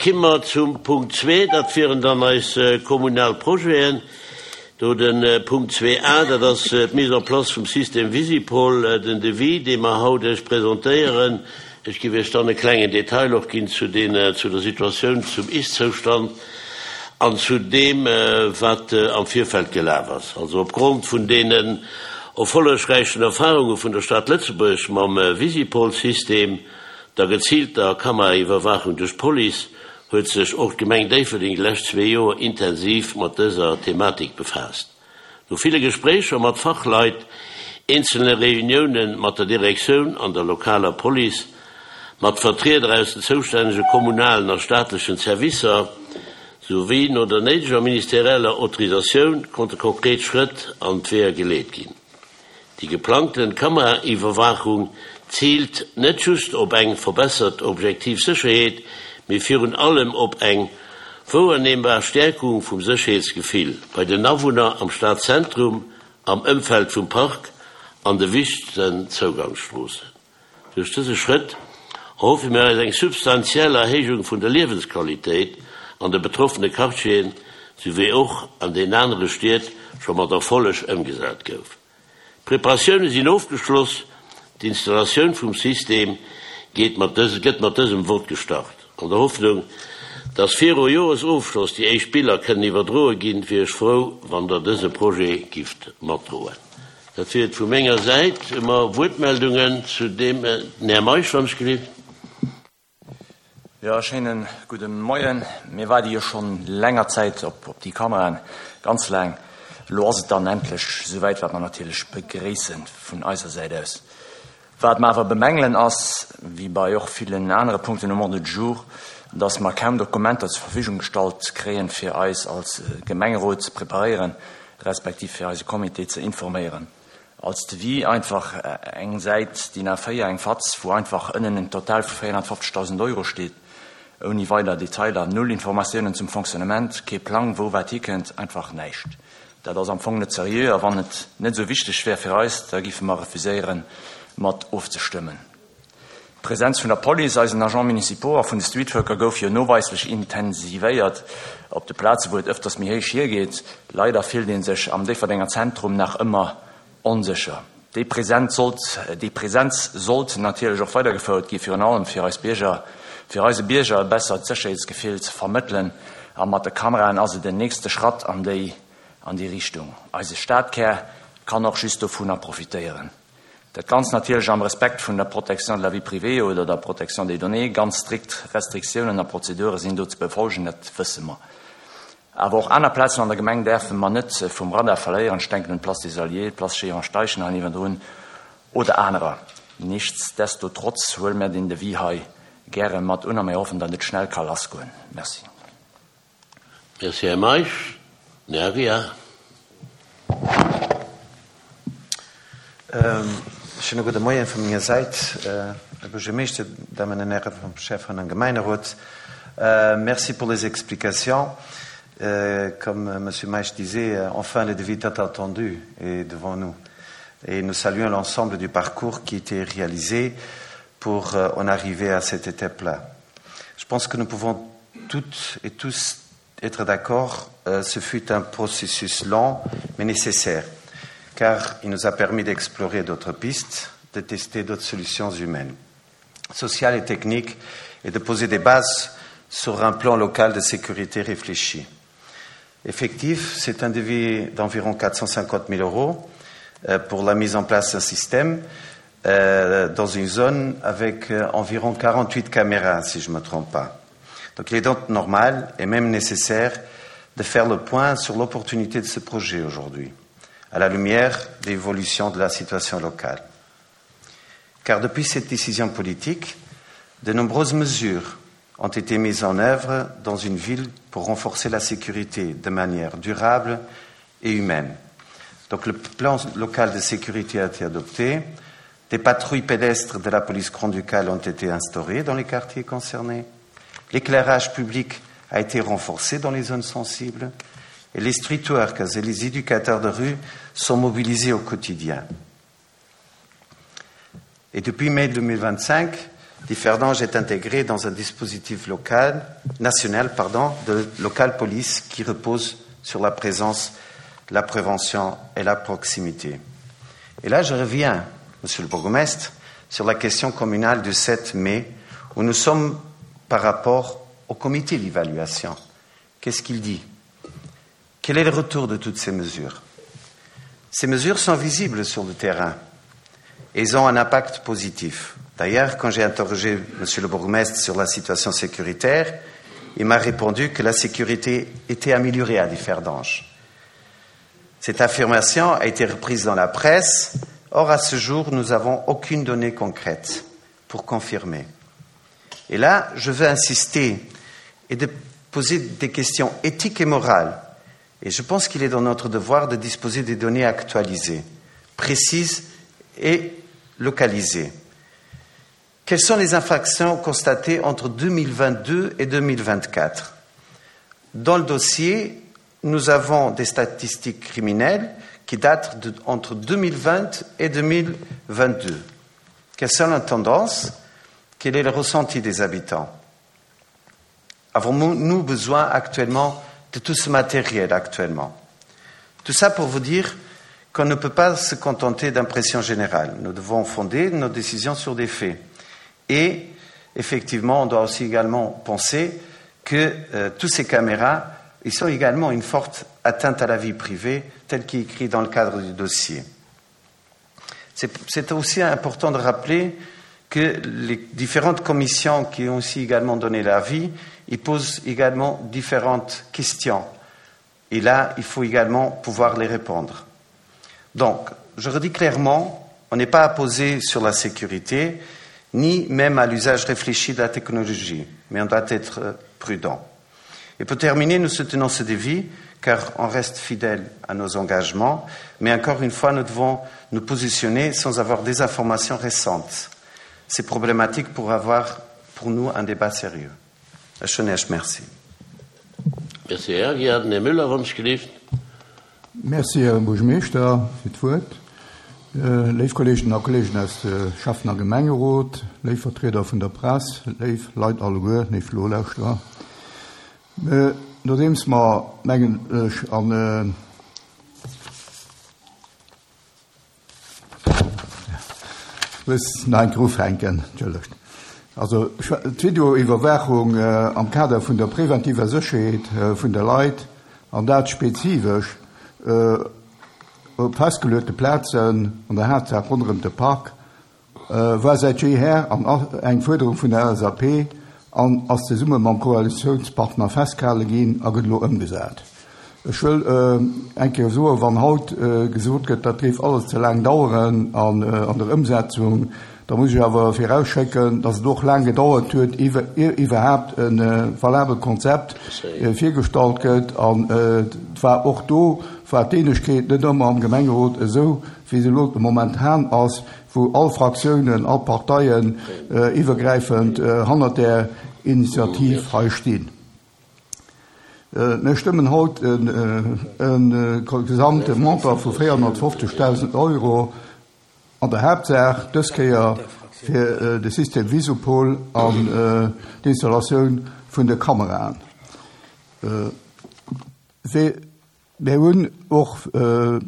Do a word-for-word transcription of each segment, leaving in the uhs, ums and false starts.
Kimme mer zum Punkt zwee, dat wieren dann eis kommunal Projeten. Do de Punkt zwee A, dat ass d'Mise en place vum System Visipol, den Devis, dee mer haut Iech presentéieren. Ech géif Iech dann e klengen Detail och ginn zu den, zu der Situatioun, zum Ist-Zoustand an zu deem, wat am Virfeld gelaf ass. Also opgrond vun deenen erfollegräichen Erfarunge vun der Stad Lëtzebuerg mam Visipol-System, der geziilter Kameraiwwerwaachung duerch d'Police, huet sech och d'Gemeng Déifferdeng déi lescht zwee Joer intensiv mat dëser Thematik befaasst. No ville Gespréicher mat Fachleit, eenzelne Reunioune mat der Direktioun an der lokaler Police, mat Vertrieder aus den zoustännege kommunalen a staatlechen Servicer, souwéi no der néideger ministerieller Autorisatioun konnte konkret Schrëtt an d'Weeër geleet ginn. Déi geplangten Kameraiwwerwaachung ziilt net just op eng verbessert objektiv Sécherheet, mee virun allem op eng wouerneembar Stäerkung vum Sécherheetsgefill bei den Awunner am Stadzentrum, am Ëmfeld vum Park an de wichtegsten Zougangsstroossen. Duerch dëse Schrëtt erhoffe mir eis eng substantiell Erhéijung vun der Liewensqualitéit an de betroffene Quartieren, sou wéi och an den anere Stied scho mat Erfolleg ëmgesat gouf. D'Preparatioune sinn ofgeschloss, d'Installatioun vum System geet mat dës, gëtt mat dësem Vott gestart. An der Hoffnung, dass viru Joresofschloss déi éischt Biller kënnen iwwerdroe ginn, wier ech frou, wann Der dëse Projet gifft matdroen. Dat wier et vu menger Säit. Hu mer Wuertmeldungen zu deem? Den Här Meisch, wann ech gelift. Jo, schéinen gudde Moien. Mir waarde jo schonn länger Zäit op op déi Kameraen, ganz laang. Elo ass et dann endlech esouwäit, wat mer natierlech begréisse vun eiser Säit aus. Wat mer awer bemängelen ass, wéi bei och villen anere Punkten um Ordre du jour, dass mer kaum Dokumenter zur Verfügung gestallt kréien, fir eis als Gemengerot ze preparéieren, respektiv fir eise Comité ze informéieren. Als Devis einfach eng Säit DIN A véier, eng Fatz, wou einfach ënnen en Total vu véierhonnertfofzegdausend Euro steet, ouni weider Detailer, null Informatiounen zum Fonctionnement, kee Plang, wou wat hikënnt, einfach näischt. Dat ass am Fong net seriö a wann et net esou wichteg wär fir eis, da géife mer refuséieren, mat ofzestëmmen. D'Presenz vun der Police, eisen Agents municipaux a vun de Streetworker gouf jo noweislech intensivéiert op de Plaze wou et ëfters méi héich hiergeet. Leider fillt ee sech am Déifferdenger Zentrum nach ëmmer onsécher. Déi Presenz sollt, déi Presenz sollt natierlech och weidergefouert gi virun allem fir eis Bierger, fir eise Bierger e bessert Sécherheetsgefill ze vermëttelen a mat de Kameraen ass et den nächste Schratt an déi an déi Richtung. Eise Stadkär kann och just dovunner profitéieren. Dat Ganzt natierlech am Respekt vun der Protection de la vie privée oder der Protection des données. Ganz strikt Restriktiounen a Prozedure sinn do ze befolgen, dat wësse mer. Awer och aner Plazen an der Gemeng däerfe mer net vum Radar verléieren. Ech denken un d'Place des Alliés, d'Place Chéran Steichen hei niewendrun oder anerer. Nichtsdestotrotz huele mer den Devis hei gäre mat un a mir hoffen, datt et schnell ka lassgoen. Merci. Merci, Här Meisch. Den Här Aguiar. Schöne gudde Moien vu menger Säit, Här Buergermeeschter, Damen an Hären vum Schäffen an Gemeinderot. Merci pour les explications. Comme Monsieur Meisch disait, enfin le devis tant attendu est devant nous. Et nous saluons l'ensemble du parcours qui a été réalisé pour en arriver à cette étape-là. Je pense que nous pouvons toutes et tous être d'accord, ce fut un processus long mais nécessaire, car il nous a permis d'explorer d'autres pistes, de tester d'autres solutions humaines, sociales et techniques, et de poser des bases sur un plan local de sécurité réfléchi. Effectif, c'est un devis d'environ quatre cent cinquante mille euros pour la mise en place d'un système dans une zone avec environ quarante-huit caméras, si je ne me trompe pas. Donc il est donc normal et même nécessaire de faire le point sur l'opportunité de ce projet aujourd'hui, à la lumière de l'évolution de la situation locale. Car depuis cette décision politique, de nombreuses mesures ont été mises en œuvre dans une ville pour renforcer la sécurité de manière durable et humaine. Donc le plan local de sécurité a été adopté, des patrouilles pédestres de la police grand-ducale ont été instaurées dans les quartiers concernés, l'éclairage public a été renforcé dans les zones sensibles et les street workers et les éducateurs de rue sont mobilisés au quotidien. Et depuis mai deux mille vingt-cinq, Differdange est intégré dans un dispositif local, national pardon, de local police qui repose sur la présence, la prévention et la proximité. Et là, je reviens, monsieur le bourgmestre, sur la question communale du sept mai, où nous sommes par rapport au comité d'évaluation. Qu'est-ce qu'il dit? Quel est le retour de toutes ces mesures? Ces mesures sont visibles sur le terrain et elles ont un impact positif. D'ailleurs, quand j'ai interrogé monsieur le bourgmestre sur la situation sécuritaire, il m'a répondu que la sécurité était améliorée à Differdange. Cette affirmation a été reprise dans la presse. Or, à ce jour, nous n'avons aucune donnée concrète pour confirmer. Et là, je veux insister et de poser des questions éthiques et morales. Et je pense qu'il est dans notre devoir de disposer des données actualisées, précises et localisées. Quelles sont les infractions constatées entre deux mille vingt-deux et deux mille vingt-quatre? Dans le dossier, nous avons des statistiques criminelles qui datent de, entre deux mille vingt et deux mille vingt-deux. Quelles sont les tendances? Quel est le ressenti des habitants? Avons-nous besoin actuellement de tout ce matériel actuellement? Tout ça pour vous dire qu'on ne peut pas se contenter d'impressions générales. Nous devons fonder nos décisions sur des faits. Et effectivement, on doit aussi également penser que, euh, toutes ces caméras, ils sont également une forte atteinte à la vie privée, telle qu'est écrite dans le cadre du dossier. C'est, c'est aussi important de rappeler que les différentes commissions qui ont aussi également donné l'avis, ils posent également différentes questions. Et là, il faut également pouvoir les répondre. Donc, je redis clairement, on n'est pas opposé sur la sécurité, ni même à l'usage réfléchi de la technologie, mais on doit être prudent. Et pour terminer, nous soutenons ce devis, car on reste fidèle à nos engagements, mais encore une fois, nous devons nous positionner sans avoir des informations récentes. C'est problématique pour avoir, pour nous, un débat sérieux. Schönesch, merci. Merci, Herr Gerd Müller, wann es gelieft. Merci, Herr Buergermeeschter, fir d'Wuert. Äh, léif Kolleginnen a Kollegen aus de Schäffen- a Gemengerot, léif Vertrieder vun der Press, léif Leit alleguer, léif Nolauschterer. Äh, nodeems mer mengen ech an, äh, muss nach eng Kéier ufänken, entschëllegt. Also, d'Videoiwwerwaachung, äh, am Kader vun der präventiver Sécherheet, äh, vun der Leit, an dat spezifesch, äh, op festgeluechte Plazen an der Hauptsache rund um den Park, äh, war seit jeher an eng Förderung vun der L S A P an ass zesumme mam Koalitionspartner festgehalten ginn a gëtt elo ëmgesat. Ech wëll, äh, eng Kéier soen, wann haut, äh, gesot gëtt, dat géif alles ze lang dauern an, äh, an der Umsetzung, da muss ich awer vorausschicken, dass es doch lang gedauert huet, iwwer, iwwerhaupt en, äh, valabel Konzept, äh, virgestallt gëtt an, äh, war och do, war d'Eenegkeet net ëmmer am Gemengerot esou, wéi se lo momentan ass, wou all Fraktionen, all Parteien, äh, iwwergreifend, äh, hannert der Initiativ hei stinn. Äh, mir stimmen haut en, äh, en, äh, gesamte Montant vu vierhundertfünfzigtausend Euro an der Hauptsache dës Kéier fir, äh, de System Visupol an, äh, d'Installation vun de Kameraen. Äh, wir, wir hunn och, äh,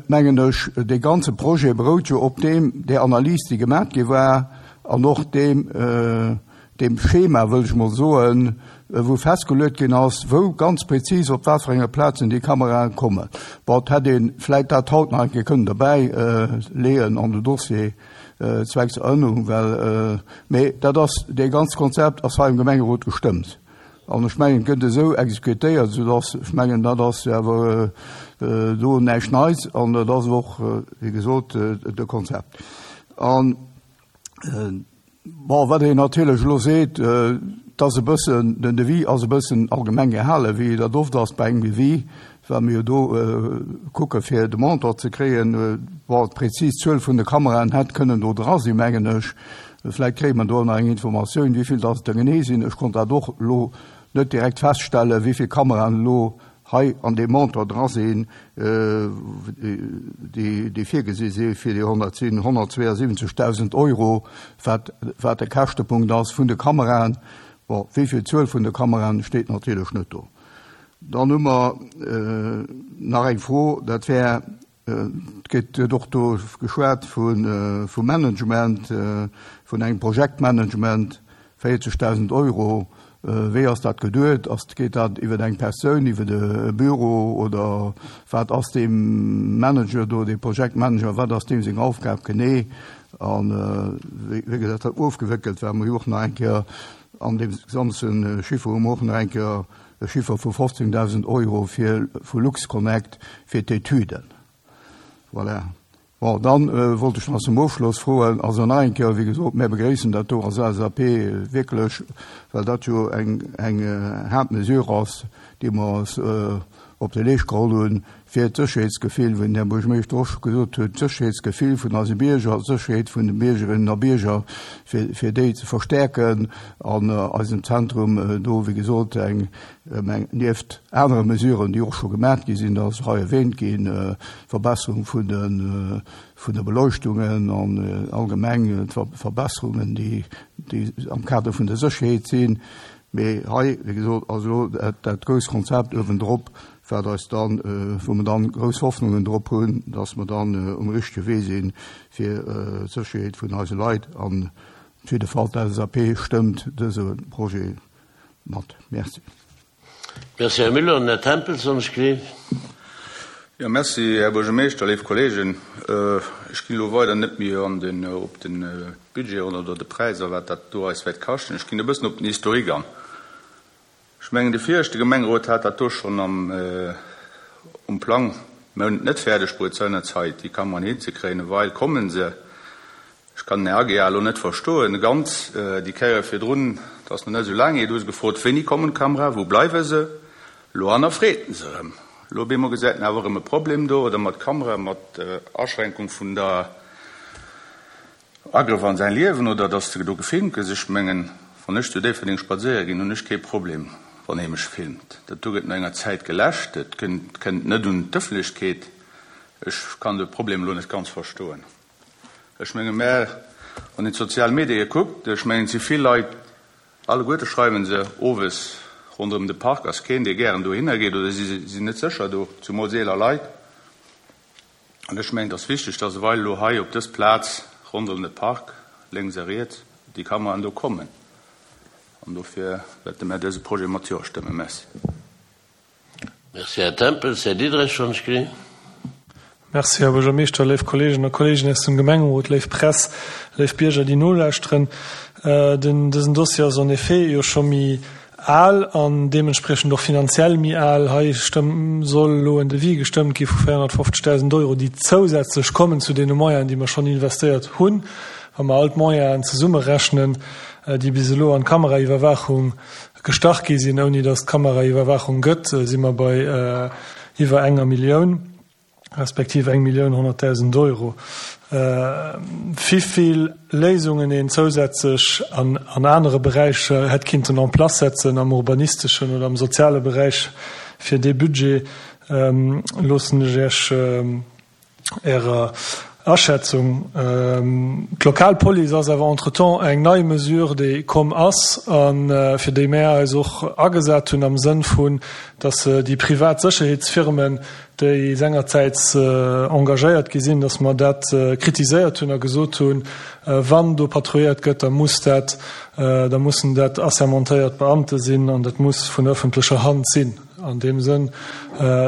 mengen ech, de ganze Projet berout jo op dem, der Analyse, déi gemacht gi war, an och dem, äh, dem Schema, wëll ech mol soen, wou festgelegt ginn ass, wou ganz präzis op wat fir enger Plazen déi Kameraen kommen. Bon, hätt een vläicht dat haut nach eng Kéier kënnen dobäi, äh, leeën an de Dossier, äh, zwecks Erinnerung, well, äh, mee dat ass, de ganze Konzept ass hei im Gemengerot gestëmmt. An ech mengen, gëtt esou exekutéiert, sodass ech mengen, dat ass awer, äh, äh, do näischt Neits an dat ass och, äh, wéi gesot, äh, de Konzept. An, äh, bon, wat een natierlech lo seet, äh, dass e bëssen, den Devis ass e bëssen allgemeng gehale, wéi dat oft ass bei engem Devis, well mir do, äh, kucke fir de Montant ze kréien, äh, bon, d'präzis Zuel vun de Kameraen hätt kënnen do dra sinn, mengen ech. Vielleicht kriegt man da noch eng Informatioun, wie viel das da genee sinn. Ech konnt dat och lo net direkt feststellen, wie viel Kameraen lo hei an deem Montant dra sinn, déi, déi virgesi si fir déi honnertsiwen, honnertzweeënsiwwenzegdausend Euro, wat, wat de Käschtepunkt ass vun de Kameraen. Bon, wéi vill Zuel vun de Kameraen steet natierlech net do. Dann hu mer nach eng Fro, dat wär, et gëtt och do geschwat vum Management, vun engem Projektmanagement, véierzegdausend Euro. Wéi ass dat geduet? Ass, geet dat iwwer eng Persoun, iwwer e Büro oder wat ass deem Manager do, dee Projektmanager, wat ass deem seng Aufgab genee? An wéi, wéi gëtt dat ofgewéckelt? Well mer jo och nach eng Kéier an deem ganze Chiffer hu mer och nach eng Kéier e Chiffer vu fofzéngdausend Euro fir vu LuxConnect fir d'Etüden. Voilà. Bon, dann wollt ech nach zum Ofschloss froen, also nach eng Kéier, wéi gesot, mir begréissen dat do als L S A P wierklech, well dat jo eng, eng haart Mesure ass, déi mer eis op de Leescht geholl hunn, fir d'Sécherheetsgefill, wéi den Här Buergermeeschter och scho gesot huet, d'Sécherheetsgefill vun eise Bierger, d'Sécherheet vun de Biergerinnen a Bierger, fir, fir déi ze verstärken an eisem Zentrum do, wéi gesot, eng, eng, nieft anere Mesuren, déi och scho gemaach gi sinn, dat ass hei erwähnt ginn, Verbesserung vun de, vun de Beleuchtungen an allgemeng d'Verbesserungen, déi, déi am Kader vun der Sécherheet sinn. Mee hei, wéi gesot, ass elo dat, dat grousst Konzept uewendrop, wat eis dann, wou mer dann grouss Hoffnungen drop hunn, dass mer dann um richtege Wee sinn, fir d'Sécherheet vun eise Leit. An op jidde Fall, d'L S A P stëmmt dëse Projet mat. Merci. Merci, Här Müller. An Här Tempels, wann ech gleef. Jo, merci, Här Buergermeeschter, léif Kollegen. Ech ginn elo weider net méi an den, op de Budget oder de Präis a wat dat do eis wäert kaschten. Ech ginn e bëssen op den Historique an. Ech mengen, de viregte Gemengerot hat dat do schonn am, um Plang. Mir hunn et net fäerdeg bruet seinerzeit, déi Kameraen hinzekréien. Ewell kommen se. Ech kann den Här Aguiar elo net verstoen ganz. Déi Kéier virdrun, dat ass nach net esou laang hier, du hues gefrot, Wéini kommen d'Kameraen, wou bleiwe se? Elo hannerfreet en se erëm. Elo op eemol gesäit en awer erëm e Problem do, oder mat Kamera, mat Aschränkung vun der Agrëff an säin Liewen, oder dass de do gefilmt gëss. Ech mengen, wann ech zu Déifferdeng spadséiere ginn, hunn ech kee Problem, wann ee mech filmt. Dat do gëtt no enger Zäit geläscht, et kënnt net un d'Ëffentlechkeet. Ech kann de Problem elo net ganz verstoen. Ech menge mä, wann een d'sozial Medie kuckt, ech mengen, et si vill Leit, alleguerte schreiwe se, owes ronderëm de Park ass keen, dee gären dohinner geet, oder si sinn net sécher do, zumools eeler Leit. An ech mengen, et ass wichteg, dass ewell elo hei op dës Plaz ronderëm de Park, lénks a riets, déi Kameraen do kommen. An dofir wäerte mär dëse Projet mat Jo stëmmen. Merci. Merci, Här Tempels. Här Diderich, wann ech gleef. Merci, Här Buergermeeschter, léif Kolleegen a Kolleegen aus dem Gemengerot, léif Press, léif Bierger, déi nolauschteren. Den, dësen Dossier ass en effet jo scho méi al an deementspriechend och finanziell méi al. Hei stëmm, soll elo en Devis gestëmmt gi vu véierhonnertfofzegdausend Euro, déi zousätzlech kommen zu deene Moyenen, déi mer schonn investéiert hunn. Wa mer all d'Moyenen zesummerechnen, déi bis elo an d'Kameraiwwerwaachung gestach gi sinn, ouni datt d'Kameraiwwerwaachung gëtt, si mer bei iwwer enger Millioun, respektiv eng Millioun honnertdausend Euro. Wéivill Léisungen een zousätzlech an an anere Beräicher hätt kinnten en place setzen, am urbanisteschen oder am soziale Beräich fir dee Budget, loossen ech Iech Ärer Aschätzung. D'lokal Police ass awer entretemps eng nei Mesure, déi komm ass a fir déi mär eis och agesat hunn am Sënn vun, datt déi privat Sécherheetsfirmen, déi sengerzäits engagéiert gi sinn, datt mer dat kritiséiert hunn a gesot hunn, wann do patrouilléiert gëtt, da muss dat, da mussen dat assermentéiert Beamte sinn an dat muss vun ëffentlecher Hand sinn. An deem Sënn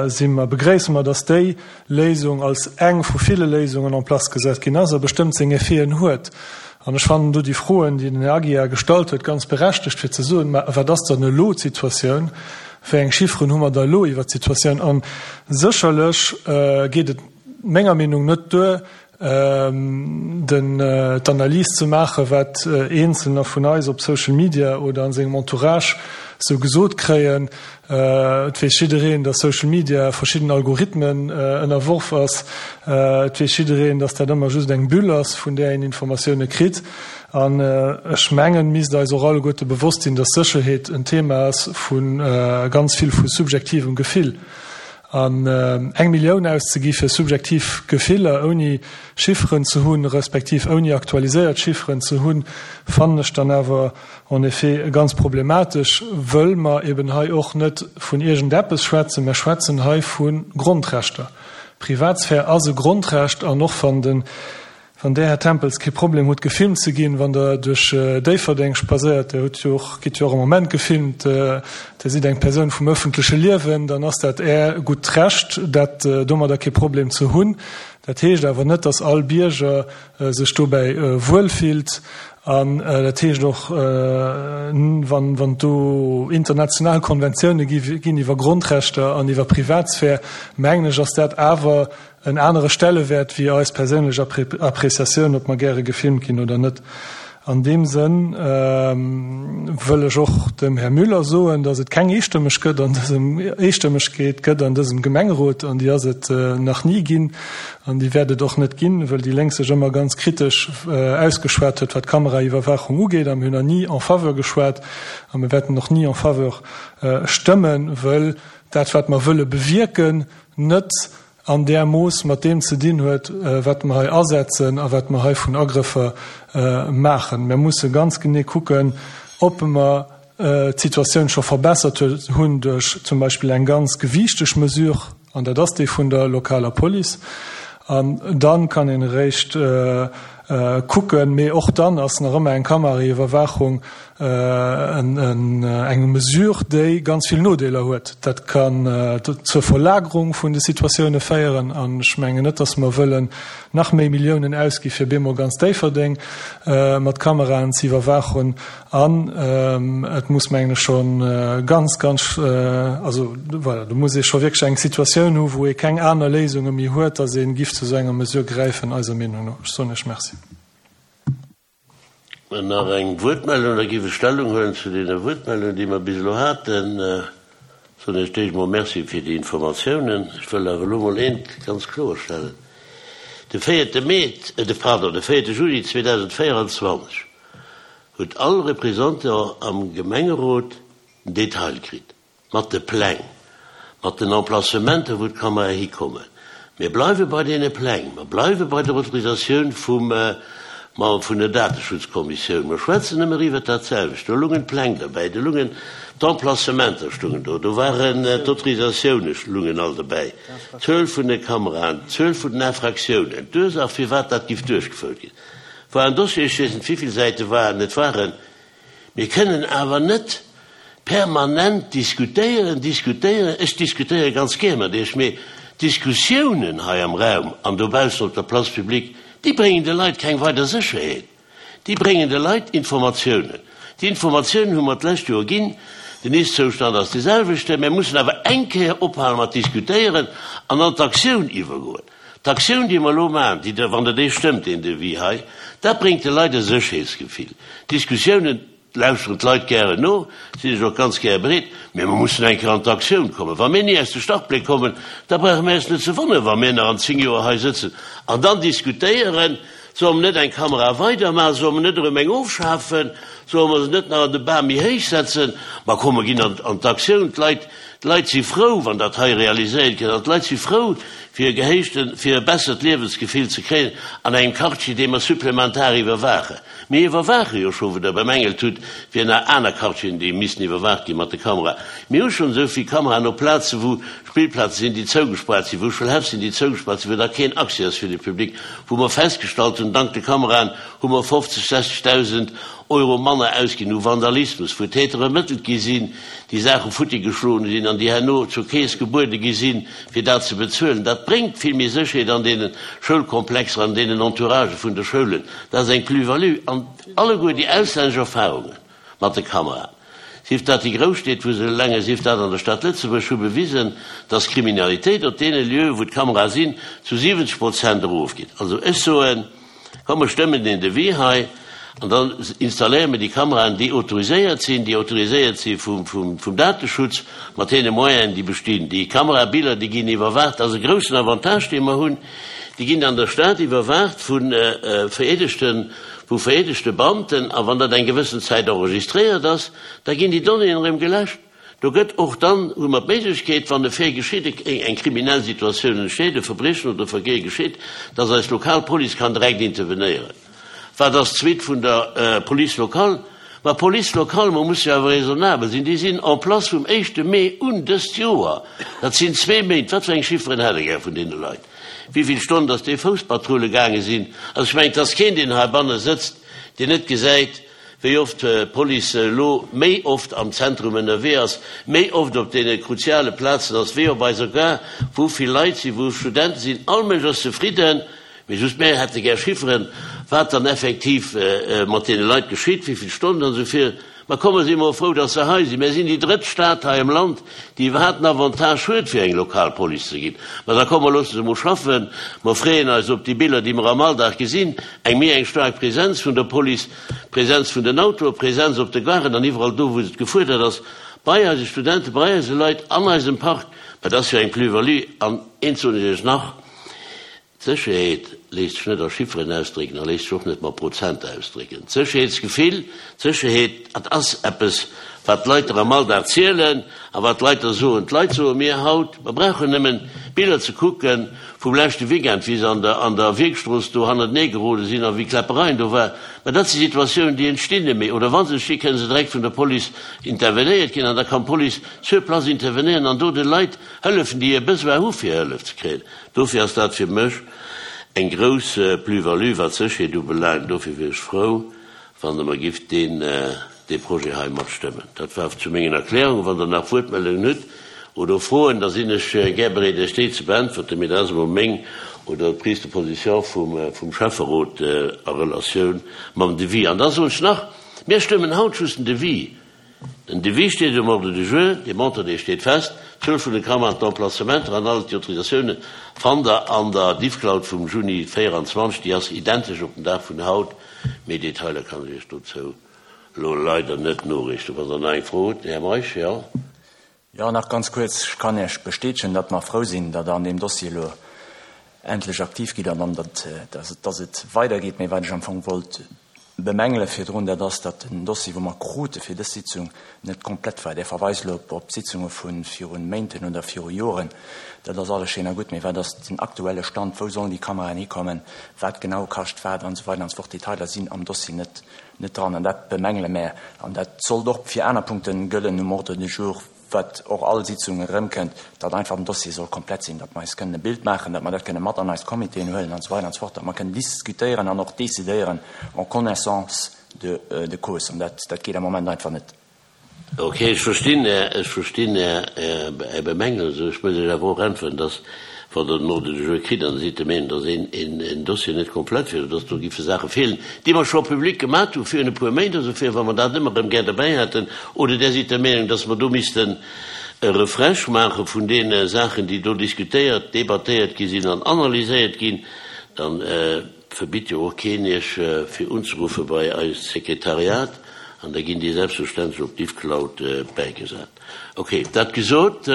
si mer, begréisse mer, datt déi Léisung als eng vu ville Léisungen en place gesat ginn ass a bestëmmt seng Effeten huet. An ech fannen do déi Froen, déi den Här Aguiar gestallt huet, ganz berechtegt, fir ze soen, mä wat ass dann elo d'Situatioun? Wéi eng Chifferen hu mer da elo iwwert d'Situatioun? A sécherlech geet et menger Meenung net duer, den d'Analys ze maachen, wat Eenzelner vun eis op Social Media oder an sengem Entourage sou gesot kréien. Et weess jiddereen, dass Social Media verschidden Algorithmen ënnerworf ass. Et weess jiddereen, dass dat ëmmer just eng Bulle ass, vun där een Informatioune kritt. An ech mengen, misst eis och alleguerte bewosst sinn, dass Sécherheet en Thema ass vu ganz vill vu subjektivem Gefill. An eng Millioun auszegi fir subjektiv Gefiller, ouni Chifferen ze hunn, respektiv ouni aktualiséiert Chifferen ze hunn, fannen ech dann awer en effet ganz problematesch, wëll mer eben hei och net vun iergendeppes schwätzen, mer schwätzen hei vu Grondrechter. Privatsphär ass e Grondrecht an och wann den Wann Där, Här Tempels, kee Problem hutt, gefilmt ze ginn, wann Der duerch Déifferdeng spadséiert, Der hutt jo och, gitt jo och am Moment gefilmt, Der sidd eng Persoun vum öffentleche Liewen, dann ass dat Är gutt Recht, dat domadder kee Problem ze hunn. Dat heescht awer net, dass all Bierger sech dobäi wuelfillt. An dat heescht och, wann, wann do international Konventioune ginn iwwer Grondrechter an iwwer Privatsphär, mengen ech, ass dat awer en anere Stellewäert wéi eis perséinlech Appréciatioun, ob mer gäre gefilmt ginn oder net. An deem Sënn wëll ech och dem Här Müller soen, datt et keng Eestëmmeg gëtt an dësem, Eestëmmegkeet gëtt an dësem Gemengerot, an déi ass et nach ni ginn an déi wäert et och net ginn, wëll déi Lénk sech ëmmer ganz kritesch ausgeschwat huet, wat d'Kameraiwwerwaachung ugeet, a mir hunn nach ni en faveur geschwat a mir wäerten och ni en faveur stëmmen, wëll dat, wat mer wëlle bewierken, net an där Mooss mat deem ze dinn huet, wat mer hei asetzen a wat mer hei vun Agrëffer maachen. Mer musse ganz genee kucken, ob mer d'Situatioun scho verbessert hunn duerch zum Beispill eng ganz gewiichteg Mesure, an dat ass déi vun der lokaler Police. An dann kann een eréischt kucken, mee och dann ass nach ëmmer eng Kameraiwwerwaachung eng Mesure, déi ganz vill Nodeeler huet. Dat kann zur Verlagerung vun de Situatioune féieren. An ech mengen net, datt mer wëllen nach méi Milliounen ausgi fir bemol ganz Déifferdeng mat Kameraen ze iwwerwaachen. An et muss, mengen ech, scho ganz, ganz, also voilà, do muss ee scho wierklech eng Situatioun hu wou ee keng aner Léisunge méi huet, datt ee giff zu esou enger Mesure gräifen, eiser Meenung no. Ech soen Iech Merci. Nach eng Wuertmeldung, da giff ech Stellung huelen zu deene Wuertmeldungen, déi mer bis elo haten. Soen Iech d'éischt emol Merci fir déi Informatiounen. Ech wëll awer elo emol eent ganz kloerstellen, De véierte Mee, de, pardon, de véierte Juli zweedausendvéierundzwanzeg huet all Représentant am Gemengerot den Detail kritt. Mat de Pläng, mat den Emplacementen, wou d'Kamerae hikommen. Mir bleiwe bei deene Pläng, mer bleiwe bei der Autorisatioun vum, ma vun der Dateschutzkommissioun. Mer schwätzen ëmmer iwwert dat selwecht. Do lungen d'Pläng derbäi, do lungen d'Emplacementer stungen do, do waren d'Autorisatioune lungen all derbäi, d'Zuel vun de Kameraen, d'Zuel vun den Infractiounen, d'Ursaach firwat dat giff duerchgefouert ginn. War en Dossier, ech weess net wivill Säite waren et waren. Mir kënnen awer net permanent diskutéieren, diskutéieren, ech diskutéiere ganz gär mat Iech, mee d'Diskussiounen hei am Raum an dobaussen op der Place publique, déi bréngen de Leit keng weider Sécherheet. Déi bréngen de Leit Informatiounen. Déi Informatiounen hu mer d'lescht Joer ginn. Den Ist-Zoustand ass dee selwechten. Mir mussen awer eng Kéier ophale mat diskutéieren an an d'Aktioun iwwergoen. D'Aktioun, déi mer elo maachen, déi Der, wann Der déi stëmmt, deen Devis hei, dat bréngt de Leit e Sécherheetsgefill. D'Diskussiounen lauschteren d'Leit gären no, sinn ech och ganz gäre bereet, mä mer mussen eng Kéier an d'Aktioun kommen. Wa mir ni aus de Startbléck kommen, da brauche mir eis net ze wonneren, wa mir nach an zéng Joer hei sëtzen an dann diskutéieren, Solle mer net eng Kamera weidermaachen? Solle mer net erëm eng ofschafen? Solle mer se net nach an de Bam méi héich setzen? Ma komm, mer ginn an d'Aktioun. D'Leit, d'Leit si frou, wann dat hei realiséiert gëtt. An d'Leit si frou, fir e gehéichten, fir e bessert Liewensgefill ze kréien an engem Quartier, dee mer supplementar iwwerwaachen. Mir iwwerwaache jo scho, wou Der bemängelt hutt, fir nach aner Quartieren, déi missten iwwerwaacht gi mat de Kameraen. Mir hu schonn esou vill Kameraen op Plazen, wou Spillplaze sinn, déi zougespaart sinn, wou Schoulhäff sinn, déi zougespaart sinn, wou da keen Accès ass fir de Public, wou mer festgestallt hunn, dank de Kameraen hu mer fofzeg, sechzegdausend Euro manner ausginn u Vandalismus, wou Täter ermëttelt gi sinn, déi Saache futti geschloen sinn an déi herno zur Keess gebuede gi sinn, fir dat ze bezuelen. Dat bréngt vill méi Sécherheet an deene Schoulkomplexer, an deenen Entouragë vun de Schoulen. Dat ass eng Plus-value. An alleguer déi auslännesch Erfahrunge mat de Kameraen, sief dat déi Grousstied, wou se elenge, sief dat an der Stad Lëtzebuerg, hu bewisen, dass d'Kriminalitéit op deene Lieue, wou d'Kamerae sinn, zu siwwenzeg Prozent erofgeet. Also ech soen, komm mer stëmmen deen Devis hei An dann installéiere mer déi Kameraen, déi autoriséiert sinn, déi autoriséiert si vum, vum, vum Dateschutz, mat deene Moyenen, déi bestinn. Déi Kamerabiller, déi ginn iwwerwaacht. Dat ass e groussen Avantage, dee mer hunn. Déi ginn an der Stad iwwerwaacht vu vereedegten, vu vereedegte Beamten. A wann dat eng gewëssen Zäit enregistréiert ass, da ginn déi Donnéeën erëm geläscht. Do gëtt och dann, hu mer d'Méiglechkeet, wann e Fait geschitt, eng kriminell Situatioun entsteet, e Verbriechen oder e Vergeh geschitt, dass eis lokal Police kann direkt intervenéieren. Wat ass d'Suite vun der Police locale? Ma d'Police locale, mer musse jo awer raisonnabel sinn, déi sinn en place vum éischte Mee un dëst Joer. Dat sinn zwee Méint. Wat fir eng Chifferen hätt Der gär vun deene Leit? Wéi vill Stonnen dass déi Fousspatrulle gaange sinn? Also ech mengen, et ass keen, deen heibanne sëtzt, deen net gesäit, wéi oft d'Police elo méi oft am Zentrum ënnerwee ass, méi oft op deene kruziale Plazen ass, wéi op eiser Gare, wou vill Leit sinn, wou Studente sinn. All Mënsch ass zefridden. Mee just mär hätte gär Chifferen, wat dann effektiv mat deene Leit geschitt, wéi vill Stonnen an esou vir. Mä komm, mer si mol frou, dass se hei sinn. Mär sinn déi drëtt Stad hei am Land, déi iwwerhaapt en Avantage huet, fir eng lokal Police ze ginn. Mä da komm, mer loosse se mol schaffen. Mer freeën eis op déi Biller, déi mer am Alldag gesinn, eng méi eng staark Präsenz vun der Police, Präsenz vun den Autoen, Präsenz op de Garen an iwwerall do, wou et gefuerdert ass, bei eise Studenten, bei eise Leit, an eisem Park. Mä dat ass jo eng Plus-value. An eent soen ech Iech nach, D'Sécherheet léisst sech net a Chifferen ausdrécken a léisst sech och net mat Prozenter ausdrécken. D'Sécherheetsgefill, d'Sécherheet, dat ass eppes, wat d'Leit der am Alldag zielen a wat d'Leit der soen. D'Leit soe mir haut, mer brauchen nëmmen d'Biller ze kucke vum leschte Weekend, wéi se an der an der Wierkstrooss do hannertenee gerode sinn a wéi Kläppereien do war. Mä dat si Situatiounen, déi entstinn net méi. Oder wa se entstinn, kënne se direkt vun der Police intervenéiert ginn an da kann d'Police sur place intervenéieren an do de Leit hëllefen, déi e Besoin hu fir Hëllef ze kréien. Dofir ass dat fir mech eng grouss Plus-value, wat d'Sécherheet ubelaangt. Dofir wier ech frou, wann Der mer gifft deen, dee Projet hei matstëmmen. Dat war zu mengen Erklärungen. Wann Der nach Wuertmeldungen hutt oder Froen, da sinn ech gär bereet, Iech déi ze beäntwerten. Mee dat ass emol meng oder d'Prise de position vum, vum Schäfferot a Relatioun mam Devis. An da soen ech nach, Mir stëmmen haut just den Devis. Den Devis steet um Ordre du jour, dee Montant, dee steet fest, d'Zuel vun de Kameraen, d'Emplacementer an all d'Autorisatiounen fannt Der an der Diffcloud vum Juni véieranzwanzeg déi ass identesch op den Dag vun haut. Méi Detailer kann ech Iech dozou elo leider net noriichten. Wann Der nach eng Fro hutt, Här Meisch, jo. Jo, nach ganz kuerz, Ech kann Iech bestätegen, datt mer frou sinn, datt Der an deem Dossier elo endlech aktiv gitt an datt, datt et weidergeet. Mee wat ech am Fong wollt bemängele virdrun, dat ass, datt den Dossier, wou mer krute fir dës Sitzung, net komplett war. Där verweist elo op Sitzunge vu viru Méinten oder viru Joren. Dat ass alles schéin a gutt, mee wat ass den aktuelle Stand? Wou sollen déi Kameraen hikommen? Wat genau kascht wat? An esou weider an esou fort. Detailer sinn am Dossier net net dran an dat bemängele mär. An dat sollt och fir aner Punkte gëllen um Ordre du jour, wat och all Sitzung erëmkënnt, datt einfach den Dossier soll komplett sinn, datt mer eis kënnen e Bild maachen, datt mer dat kënnen mat an eis Comitéen huelen an esou weider an esou fort, datt mer kënnen diskutéieren an och décidéieren en connaissance de, de cause. An dat, dat geet am Moment einfach net. Ok, ech verstinn Är, ech verstinn Är, Är Bemängel. Ech muss Iech awer och äntweren, datt wann Der den Ordre du jour kritt an Der sidd der Meenung, datt een, een, een Dossier net komplett wier oder datt do giffe Saache feelen, déi mer scho public gemat hu virun e puer Méint oder esou, wa mer dat ëmmer erëm gär derbäi hätten, oder Der sidd der Meenung, datt mer do missten e Refresh maache vun deene Saachen, déi do diskutéiert, debattéiert gi sinn an analyséiert ginn, da verbitt jo och keen Iech fir unzeruffe bei eist Sekretariat an da ginn déi selbstverständlech op d'Ifcloud bäigesat. Ok, dat gesot,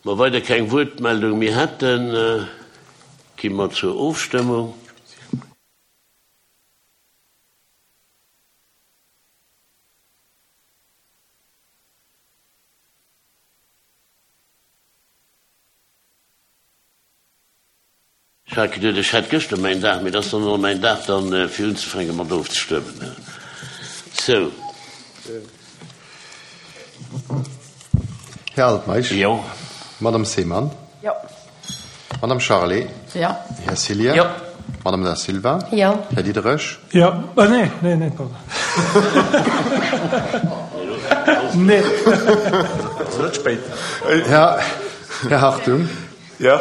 mer weider keng Wuertmeldung méi hätten, gi mer zur Ofstëmmung. Ech hat geduet, ech hätt gëschter mäin Dag, mee et ass dann elo mäin Dag dann, fir unzefänke mat ofzestëmmen. Sou. Här Altmeisch. Jo. Madame Seemann. Jo. Madame Charlé. Jo. Här Cillien. Jo. Madame Da Silva. Jo. Här Diderich. Jo. Ah, nee, nee, nee, pardon. Nee. Ass net spéit. Här, Här Hartung. Jo.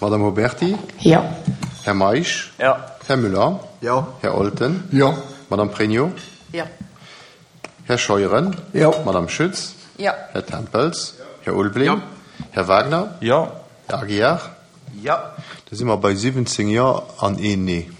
Madame Oberti. Jo. Här Meisch. Jo. Här Müller. Jo. Här Olten. Jo. Madame Pregno. Jo. Här Scheuren. Jo. Madame Schütz. Jo. Här Tempels. Här Ulveling. Jo. Här Wagner. Jo. Här Aguiar. Jo. Da si mer bei siwwenzéng Jo an een Nee.